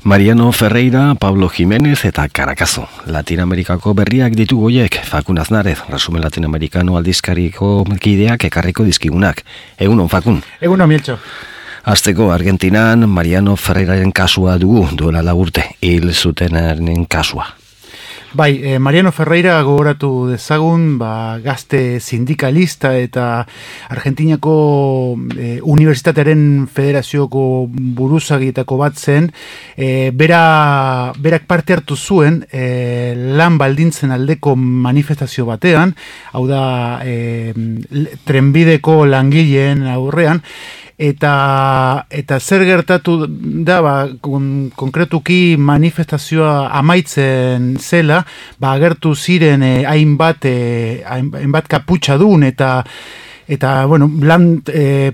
Mariano Ferreira, Pablo Jiménez eta Caracazo. Latinoamerikako berriak ditu goiek, Fakun Aznarez, Resumen Latinoamerikano aldizkariko kideak ekarriko dizkigunak. Egunon, Fakun. Egunon, Mieltxo. Azteko, Argentinan Mariano Ferreiraren kasua dugu, duela lagurte, hil zutenaren kasua. Bai, Mariano Ferreira gogoratu dezagun, gazte sindikalista eta Argentinako Unibertsitatearen Federazioko buruzagietako bat zen, berak parte hartu zuen lan baldintzen aldeko manifestazio batean, hau da trenbideko langileen aurrean, eta zer gertatu da, konkretuki manifestazioa amaitzen zela, agertu ziren hainbat kaputxadun eta bueno,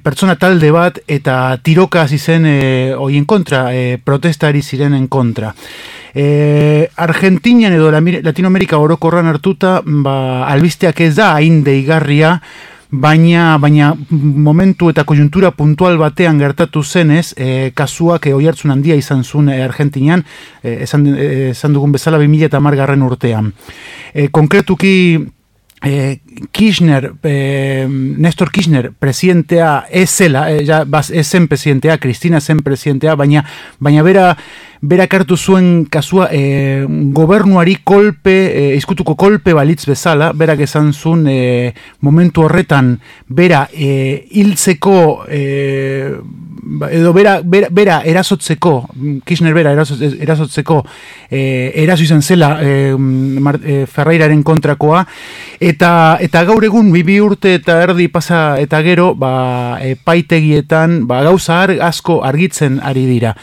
pertsona talde bat eta tiroka hasi zen hoien kontra, protestari zirenen kontra. Argentinian edo Latinoamerika orokorran hartuta, albisteak ez da hain deigarria, baina momentu eta konjuntura puntual batean gertatu zenez, kasuak oihartzun handia izan zuen Argentinian, esan dugun bezala 2010 urtean. Konkretuki, Néstor Kirchner presidentea ez zela, ez zen presidentea, Cristina zen presidentea, baina berak hartu zuen kasua gobernuari izkutuko kolpe balitz bezala, berak esan zuen momentu horretan bera hiltzeko edo bera erasotzeko, Kirchner bera erasotzeko eraso izan zela Ferreiraren kontrakoa, eta gaur egun 2 urte eta erdi pasa eta gero epaitegietan gauza asko argitzen ari dira.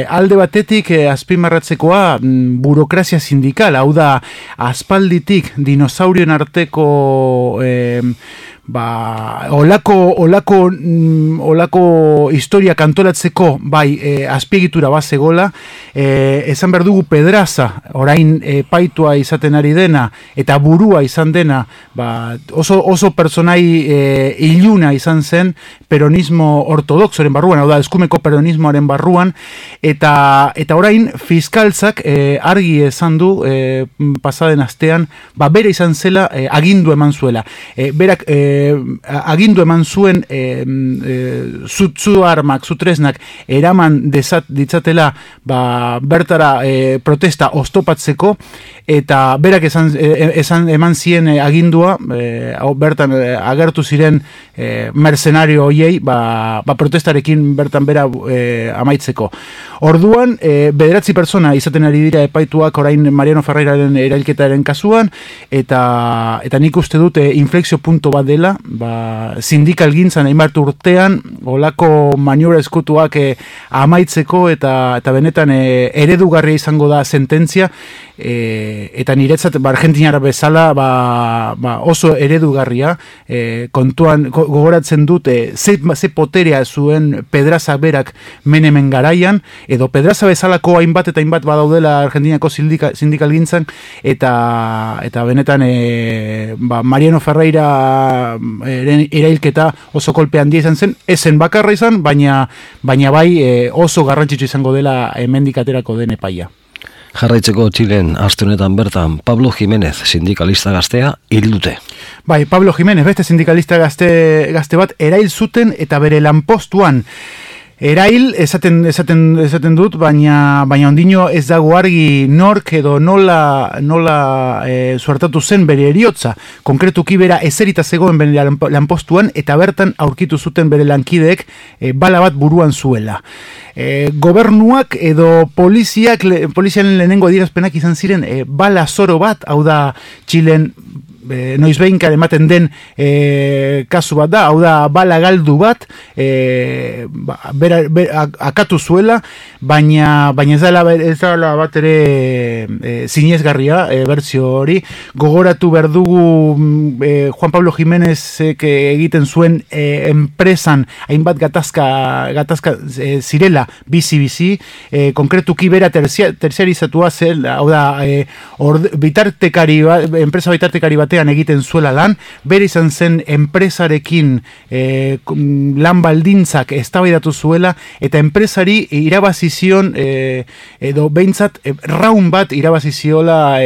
Alde batetik azpimarratzekoa burokrazia sindikal, hau da aspalditik dinosaurien arteko olako historia kantolatzeko azpiegitura bat zegola, esan behar dugu Pedraza orain paitua izaten ari dena eta burua izan dena, oso personai iluna izan zen peronismo ortodoxoren barruan, hau da eskumeko peronismoaren barruan, eta orain fiskaltzak argi esan du pasaden astean, bere izan zela agindu eman zuela. Berak agindu eman zuen zu armak, zu tresnak eraman ditzatela bertara protesta oztopatzeko, eta berak eman zien agindua, bertan agertu ziren mercenario hoiei protestarekin bertan bera amaitzeko. Orduan, 9 pertsona izaten ari dira epaituak orain Mariano Ferreiraren erailketaren kasuan, eta nik uste dut inflexio punto bat dela, sindikal gintzan hainbat urtean, olako maniobra eskutuak amaitzeko eta benetan eredugarria izango da sententzia, eta niretzat Argentinara bezala oso eredugarria, kontuan gogoratzen dut ze poterea zuen Pedraza berak Menemen garaian, edo Pedraza bezalako hainbat eta hainbat badaudela Argentinako sindikal gintzan, eta benetan Mariano Ferreira erailketa oso kolpe handia izan zen, ezen bakarra izan, baina bai oso garrantzitsu izango dela hemendik aterako den epaia. Jarraitzeko Txilen aste honetan bertan Pablo Jiménez, sindikalista gaztea, hil dute. Bai, Pablo Jiménez, beste sindikalista gazte bat erail zuten eta bere lanpostuan erail esaten dut, baina ondino ez dago argi nork edo nola suertatu zen bere heriotza. Konkretuki bera ezerita zegoen bere lanpostuan eta bertan aurkitu zuten bere lankideek bala bat buruan zuela. Gobernuak edo poliziaren lehenengo adierazpenak izan ziren bala zoro bat, hau da Txilen noizbeinka ematen den kasu bat da, hau da bala galdu bat, akatu zuela, baina ez dela bat ere zinezgarria berzio hori. Gogoratu behar dugu Juan Pablo Jiménezek egiten zuen enpresan hainbat gatazka zirela bizi, konkretuki bera terziarizatua zel, hau da enpresa bitartekari batean artean egiten zuela lan, bere izan zen enpresarekin lan baldintzak eztabaidatu zuela, eta enpresari irabazi zion, edo behintzat raun bat irabazi ziola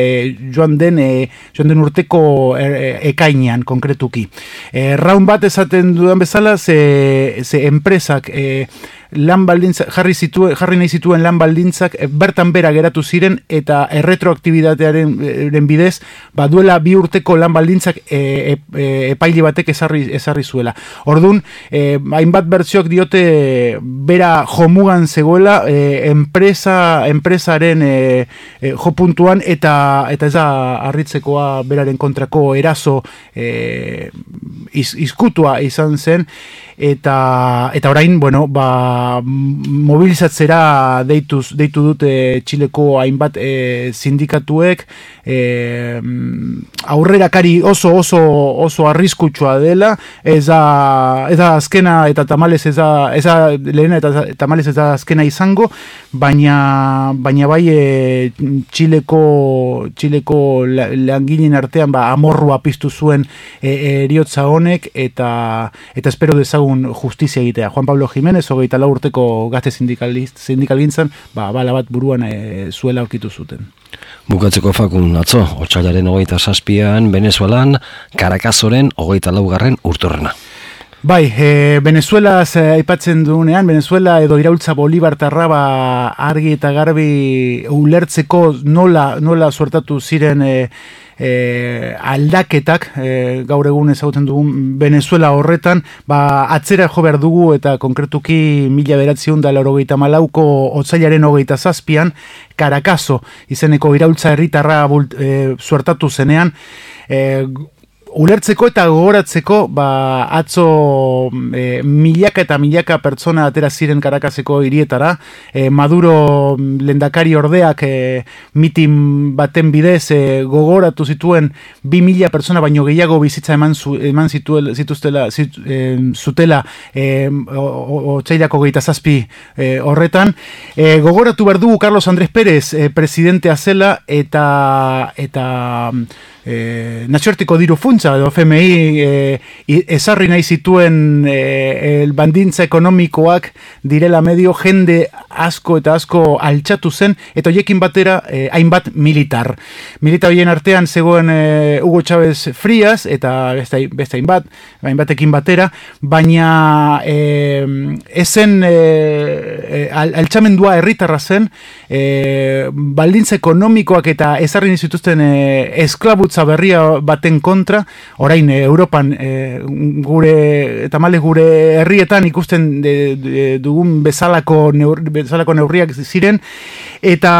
joan den urteko ekainean konkretuki. Raun bat esaten dudan bezala, ze enpresak lan baldintzak, jarri nahi zituen lan baldintzak bertan bera geratu ziren, eta erretroaktibidatearen bidez, duela 2 urteko lan baldintzak epaile batek ezarri zuela. Orduan, hainbat bertsioak diote bera jomugan zegoela enpresaren jopuntuan, eta ez da harritzekoa beraren kontrako eraso izkutua izan zen, eta orain, mobilizatzera deitu dute Txileko hainbat sindikatuek, aurrerakari oso arriskutsua dela, ez da azkena eta tamalez ez da lehena eta tamalez ez da azkena izango, baina bai Txileko langileen artean amorrua piztu zuen eriotza honek, eta espero dezagun justizia egitea. Juan Pablo Jiménez, 24 urteko gazte sindikalgintzan, bala bat buruan zuela aurkitu zuten. Bukatzeko Fakun, atzo, otsailaren 27an, Venezuelan, Caracasoren 24. urteurrena. Bai, Venezuelaz aipatzen dugunean, Venezuela edo iraultza Bolibartarra argi eta garbi ulertzeko nola suertatu ziren aldaketak, gaur egun ezagutzen dugun Venezuela horretan, atzera jo behar dugu, eta konkretuki 1984ko otsailaren 27an, Caracaso izeneko iraultza herritarra suertatu zenean, ulertzeko eta gogoratzeko, atzo milaka eta milaka pertsona atera ziren Caracaseko hirietara, Maduro lehendakari ordeak mitin baten bidez gogoratu zituen 2.000 pertsona baino gehiago bizitza eman zutela otsailako 27 horretan. Gogoratu behar dugu Carlos Andrés Pérez presidentea zela, eta nazioarteko diru funtsa edo FMI ezarri nahi zituen baldintza ekonomikoak direla medio, jende asko eta asko altxatu zen, eta hoiekin batera hainbat militar horien artean zegoen Hugo Chávez Frías, eta beste hainbatekin batera, baina ezen altxamendua herritarra zen, baldintza ekonomikoak eta ezarri nahi zituzten esklabutza berria baten kontra. Orain Europan gure herrietan ikusten dugun bezalako neurriak ziren, eta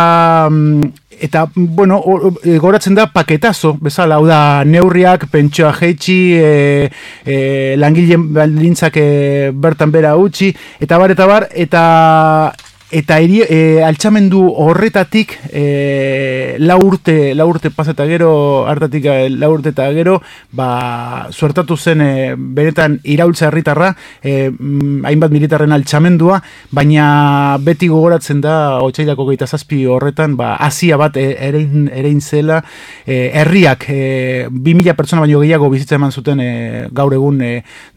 goratzen da paketazo bezala, hau da neurriak pentsioa jaitsi, langileen baldintzak bertan bera utzi, eta bar, eta altxamendu horretatik lau urte paseta gero, hartatik 4 urte eta gero, suertatu zen benetan iraultza herritarra, hainbat militarren altxamendua, baina beti gogoratzen da otsailako 27 horretan, Asia bat erein zela, herriak 2.000 pertsona baino gehiago bizitza eman zuten gaur egun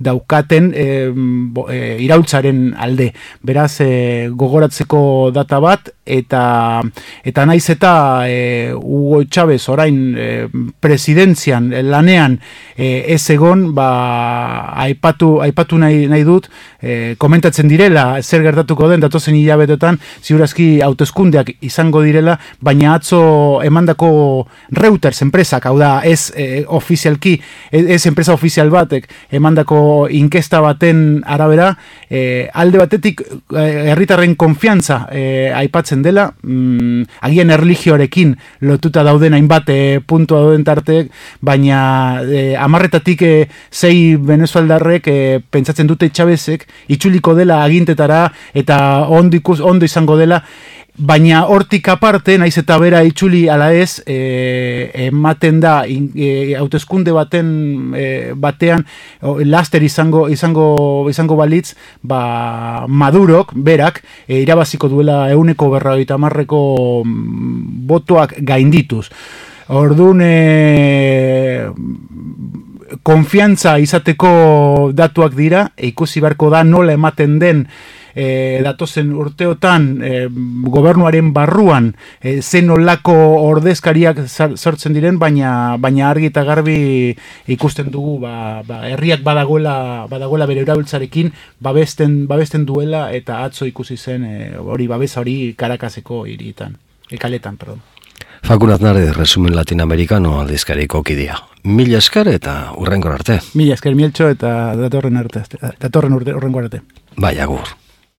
daukaten iraultzaren alde. Beraz, gogoratzen data bat, eta naiz eta Hugo Chávez orain presidentzian lanean ez egon, aipatu nahi dut, komentatzen direla zer gertatuko den datozen hilabetetan, ziurazki hauteskundeak izango direla, baina atzo emandako Reuters enpresak, hau da, ez ofizialki, ez enpresa ofizial batek emandako inkesta baten arabera, alde batetik herritarren konfiantza aipatzen dela, agian erlijioarekin lotuta dauden hainbat puntua dauden tarteek, baina 10-etatik 6 venezueldarrek pentsatzen dute Chávezek itzuliko dela agintetara, eta ondo izango dela, baina hortik aparte, naiz eta bera itzuli ala ez, ematen da hauteskunde batean laster izango balitz, Madurok berak irabaziko duela 150% botoak gaindituz. Orduan, konfiantza izateko datuak dira, ikusi beharko da nola ematen den datozen urteotan gobernuaren barruan zen olako ordezkariak sortzen diren, baina argi eta garbi ikusten dugu herriak badagoela bere erabiltzarekin babesten duela, eta atzo ikusi zen babesa hori Caracaseko hirietan, kaletan, perdón. Fakun Aznarez, Resumen Latinoamericano aldizkariko kidea. Mila esker eta hurrengor arte. Mila esker, Mieltxo, eta datorren urrengor arte. Bai, agur.